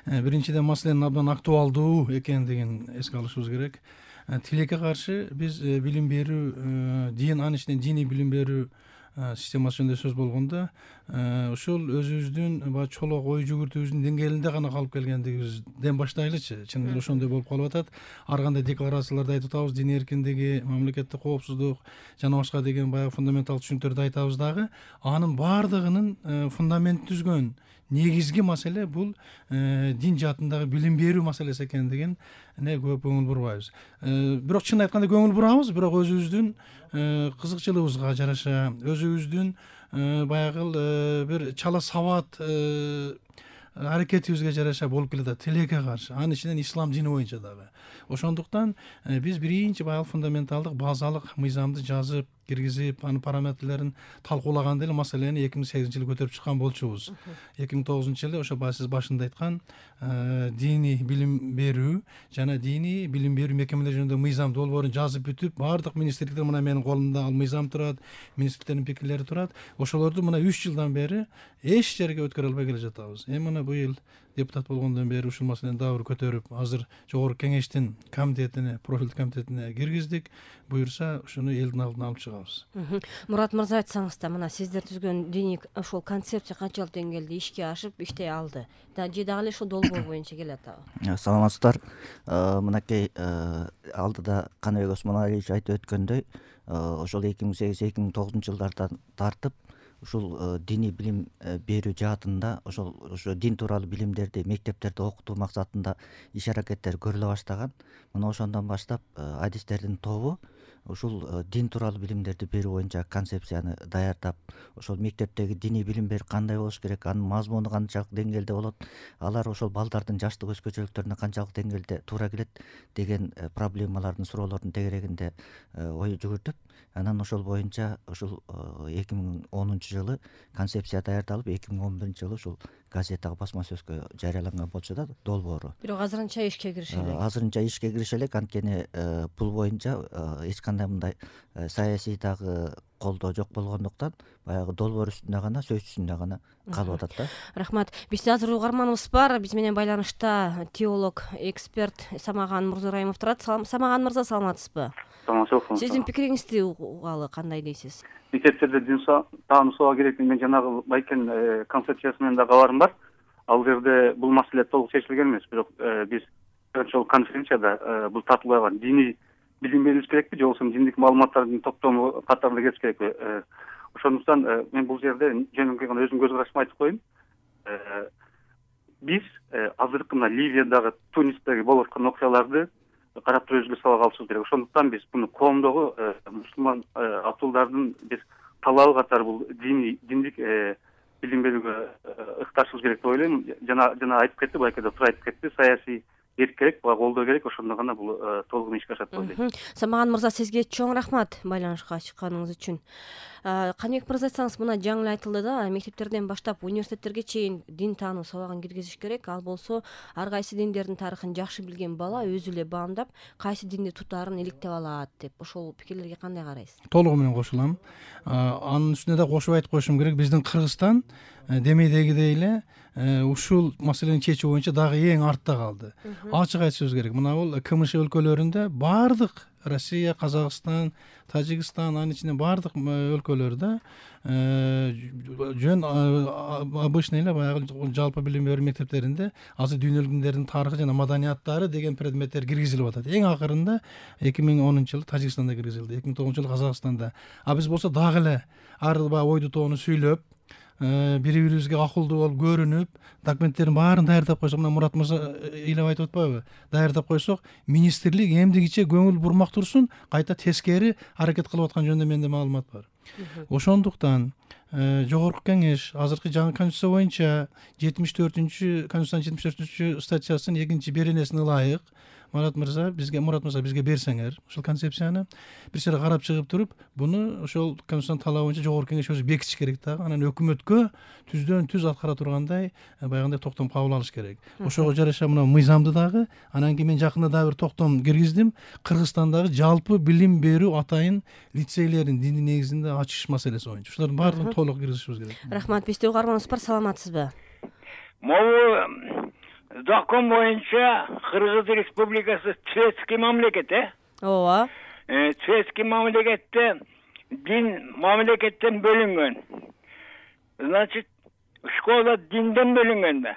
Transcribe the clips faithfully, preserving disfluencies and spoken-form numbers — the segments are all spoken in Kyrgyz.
биринчиден маселенин абдан актуалдуу экендигин эске алышыбыз керек. Тилекке каршы биз билим берүү, дин, анын ичинен диний билим берүү системасы жөнүндө сөз болгондо ушул өзүбүздүн баягы чолок ой жүгүртүүбүздүн деңгээлинде гана калып келгендигибизден баштайлычы. Чын эле ошондой болуп калып атат. Ар кандай декларацияларды айтып атабыз, дин эркиндиги, мамлекеттик коопсуздук жана башка деген баягы фундаменталдык түшүнүктөрдү айтабыз дагы, анын баардыгынын фундаментин түзгөн негизги маселе бул дин жаатындагы билим берүү маселеси экендигин көп көңүл бурбайбыз. Бирок чын айтканда көңүл бурабыз, бирок өзүбүздүн кызыкчылыгыбызга жараша, өзүбүздүн баягы бир чала сабат аракетибизге жараша болуп келатат тилекке каршы. Анын ичинен ислам дини боюнча дагы. Ошондуктан биз биринчи баягы фундаменталдык базалык мыйзамды жазып, киргизип, анын параметрлерин талкуулаганда эле маселени эки миң сегизинчи жылы көтөрүп чыккан болчубуз. эки миң тогузунчу жылы ошо баягы сиз башында айткан диний билим берүү жана диний билим берүү мекемелери жөнүндө мыйзам долбоорун жазып бүтүп, баардык министрликтер мына менин колумда ал мыйзам турат, министрликтердин пикирлери турат. Ошолорду мына үч жылдан бери эч жерге өткөрө албай келе жатабыз. Эми мына быйыл депутат болгондон бери ушул маселени дагы бир көтөрүп, азыр жогорку кеңештин комитетине, профилдик комитетине киргиздик. Буюрса, ушуну элдин алдына алып чыгабыз. Мурат мырза, айтсаңыз да, мына сиздер түзгөн диний ошол концепция канчалык деңгээлде ишке ашып, иштей алды? Же дагы эле ошол долбоор боюнча келе атабы? Саламатсыздар. Мынакей алдыда Каныбек Осмоналиевич айтып өткөндөй, ошол эки миң сегиз эки миң тогузунчу жылдардан тартып ушул диний билим берүү жаатында ошол ошо дин тууралуу билимдерди мектептерде окутуу максатында иш аракеттер көрүлө баштаган. Мына ошондон баштап адистердин тобу ушул дин тууралуу билимдерди берүү боюнча концепцияны даярдап, ошол мектептеги диний билим берүү кандай болуш керек, анын мазмуну канчалык деңгээлде болот, алар ошол балдардын жаштык өзгөчөлүктөрүнө канчалык деңгээлде туура келет деген проблемалардын, суроолордун тегерегинде ой жүгүртүп, анан ошол боюнча ушул эки миң онунчу жылы концепция даярдалып, эки миң он биринчи жылы ушул газетага, басма сөзгө жарыяланган болчу да долбоору. Бирок азырынча ишке кирише элек. Азырынча ишке кирише элек, анткени бул боюнча эч кандай мындай саясий дагы колдоо жок болгондуктан баягы долбоор үстүндө гана, сөз үстүндө гана калып атат да. Рахмат. Бизде азыр угарманыбыз бар. Биз менен байланышта теолог, эксперт Самаган Мурзараимов турат. Самаган мырза, саламатсызбы? Саламатсызбы. Сиздин пикириңизди угалы кандай дейсиз? Мектептерде дин таануусуга керек, мен жанагы Байкен концепциясы менен да кабарым бар. Ал жерде бул маселе толук чечилген эмес, бирок биз ошол конференцияда бул тартылган диний билим бериш керекпи, же болбосо диндик маалыматтардын топтому катарында кетиш керекпи? Ошондуктан мен бул жерде жөнөкөй гана өзүмдүн көз карашымды айтып коеюн. Биз азыркы мына Ливиядагы, Тунистеги болуп аткан окуяларды карап туруп өзгө сабак алышыбыз керек. Ошондуктан биз муну коомдогу мусулман атуулардын биз талабы катары бул диний диндик билим берүүгө ыкташыбыз керек деп ойлойм. Жана жана айтып кетти, байкада тура айтып кетти, саясий эрк керек, буга колдоо керек, ошондо гана бул толугу ишке ашат деп ойлойм. Самаган мырза, сизге чоң рахмат байланышка чыкканыңыз үчүн. Каныбек мырза, айтсаңыз, мына жаңы эле айтылды да, мектептерден баштап университеттерге чейин дин таануу сабагын киргизиш керек. Ал болсо ар кайсы диндердин тарыхын жакшы билген бала өзү эле баамдап, кайсы динди тутаарын иликтеп алат деп. Ошол пикирлерге кандай карайсыз? Толугу менен кошулам. Анын үстүнө да кошуп айтып коюшум керек, биздин Кыргызстан демейдегидей эле ушул маселени чечүү боюнча дагы эң артта калды. Ачык айтышыбыз керек. Мына бул КМШ өлкөлөрүндө бардык Россия, Казакстан, Тажикстан, анын ичинде бардык өлкөлөрдө жөн обычный эле баягы жалпы билим берүү мектептеринде азыр дүйнөлүк диндердин тарыхы жана маданияттары деген предметтер киргизилип атат. Эң акырында эки миң онунчу жылы Тажикстанда киргизилди, эки миң тогузунчу жылы Казакстанда. А биз болсо дагы эле ар баягы ойду тоону сүйлөп, бири-бирибизге акылдуу болуп көрүнүп, документтердин баарын даярдап койсок, мына Мурат мырза ыйлап айтып атпайбы? Даярдап койсок, министрлик эмдигиче көңүл бурмак турсун, кайта тескери аракет кылып аткан жөнүндө менде маалымат бар. Ошондуктан жогорку кеңеш азыркы жаңы конституция боюнча жетимиш төртүнчү конституциянын жетимиш төртүнчү статьясынын экинчи беренесине ылайык Мурат мырза бизге Мурат мырза бизге берсеңер ушул концепцияны бир сыйра карап чыгып туруп, буну ошол конституциянын талабы боюнча жогорку кеңеш өзү бекитиш керек дагы. Анан өкмөткө түздөн түз аткара тургандай баягындай токтом кабыл алыш керек. Ошого жараша мына мыйзамды дагы, анан кийин мен жакында дагы бир токтом киргиздим. Кыргызстандагы жалпы билим берүү атайын лицейлерин диний негизинде ачыш маселеси боюнча. Ушулардын баардыгын толук киргизишибиз керек. Рахмат. Бизде угарманыбыз бар, саламатсызбы? Могу закон боюнча Кыргыз Республикасы светский мамлекет, э? ооба. Светский мамлекетте дин мамлекеттен бөлүнгөн. Значит, школа динден бөлүнгөн да.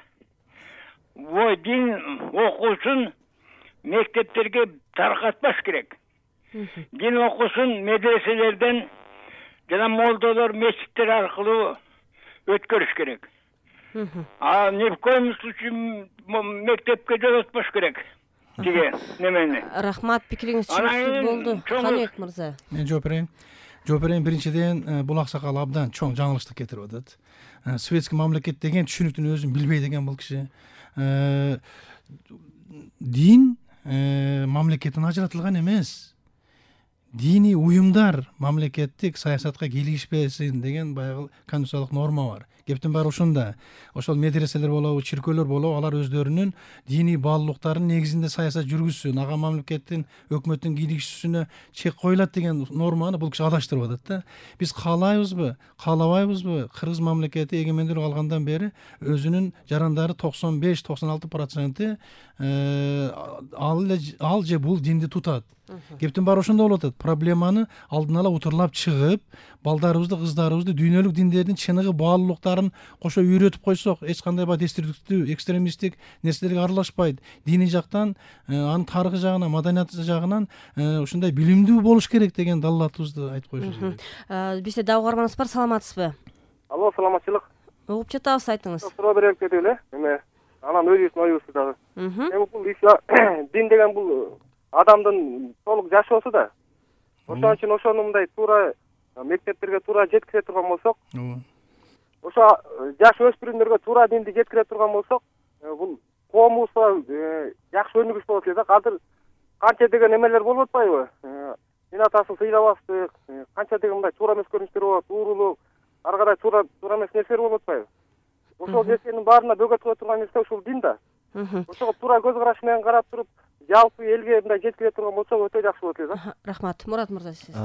Бу дин окуусун мектептерге таркатпаш керек. Дин окуусун медреселерден жана молдолор, мечиттер аркылуу өткөрүш керек. А ни в коем случае мектепке жолотпош керек. Тиге немени. Рахмат, пикириңиз түшүнүктүү болду. Каныбек мырза. Мен жооп берейин. Жооп берейин. Биринчиден, бул аксакал абдан чоң жаңылыштык кетирип атат. Светский мамлекет деген түшүнүктүн өзүн билбейт экен бул киши. Дин мамлекеттен ажыратылган эмес. Диний уюмдар мамлекеттик саясатка кийлигишпесин деген баягы конституциялык норма бар. Кептин баары ушунда. Ошол медреселер болобу, чиркөөлөр болобу, алар өздөрүнүн диний баалуулуктарынын негизинде саясат жүргүзсүн, ага мамлекеттин, өкмөттүн кийлигишүүсүнө чек коюлат деген норманы бул киши адаштырып атат да. Биз каалайбызбы, каалабайбызбы, Кыргыз мамлекети эгемендүүлүк алгандан бери өзүнүн жарандары токсон беш токсон алты проценти ал ал же бул динди тутат. Кептин баары ошондо болуп атат. Проблеманы алдын ала утурлап чыгып, балдарыбызды, кыздарыбызды дүйнөлүк диндердин чыныгы баалуулуктарын кошо үйрөтүп койсок, эч кандай баягы деструктивдүү, экстремисттик нерселерге аралашпайт. Диний жактан, анын тарыхы жагынан, маданияты жагынан ушундай билимдүү болуш керек деген далилатыбызды айтып коюшубуз керек. Бизде дагы угарманыбыз бар, саламатсызбы? Алло, саламатчылык. Угуп жатабыз, айтыңыз. Суроо берелик деп эле. Эме, анан өзүбүздүн оюбузду дагы. Эми бул дин деген бул адамдын толук жашоосу да. Ошон үчүн ошону мындай туура мектептерге туура жеткизе турган болсок, ошо жаш өспүрүмдөргө туура динди жеткире турган болсок, бул коомубузга жакшы өнүгүш болот эле да. Азыр канча деген эмелер болуп атпайбы? Дин атасын сыйлабастык, канча деген мындай туура эмес көрүнүштөр болот, уурулук, ар кандай туура туура эмес нерселер болуп атпайбы? Ошол нерсенин баарына бөгөт кыла турган нерсе ушул дин да. Ошого туура көз караш менен карап туруп, жалпы элге мындай жеткире турган болсо өтө жакшы болот эле да. Рахмат. Мурат мырза, сиз.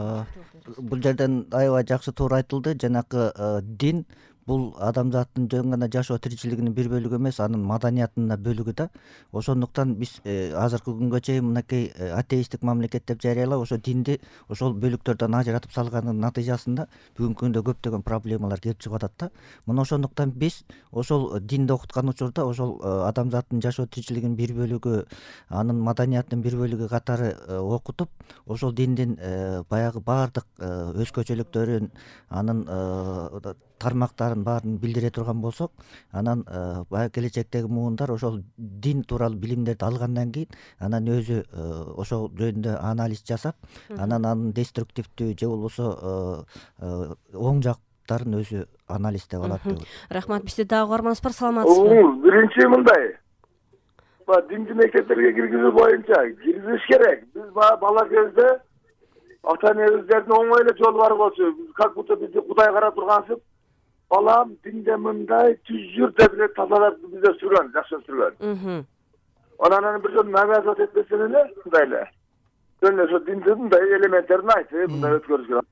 Бул жерден аябай жакшы туура айтылды. Жанакы дин бул адамзаттын жөн гана жашоо тиричилигинин бир бөлүгү эмес, анын маданиятынын бөлүгү да. Ошондуктан биз азыркы күнгө чейин мынакей атеисттик мамлекет деп жарыялап, ошо динди ошол бөлүктөрдөн ажыратып салганын натыйжасында бүгүнкү күндө көптөгөн проблемалар келип чыгып атат да. Мына ошондуктан биз ошол динди окуткан учурда ошол адамзаттын жашоо тиричилигинин бир бөлүгү, анын маданиятынын бир бөлүгү катары окутуп, ошол диндин баягы баардык өзгөчөлүктөрүн, анын тармактарын баарын билдире турган болсок, анан баягы келечектеги муундар ошол дин тууралуу билимдерди алгандан кийин анан өзү ошол жөнүндө анализ жасап, анан анын деструктивдүү же болбосо оң жактарын өзү анализдеп алат деп. Рахмат. Бизде дагы угарманыбыз бар, саламатсызбы? Биринчи мындай, динди мектептерге киргизүү боюнча киргизиш керек. Биз бала кезде ата энебиздердин оңой эле жолу бар болчу, как будто бизди Кудай карап тургансып, балам динде мындай түзүр деп эле тазалап бизде сүргөн, жакшы сүргөн. Анан бир жолу навязывать этпесин эле, мындай эле. Жөн ошо диндин мындай элементтерин айтып, мындай өткөрүш керек.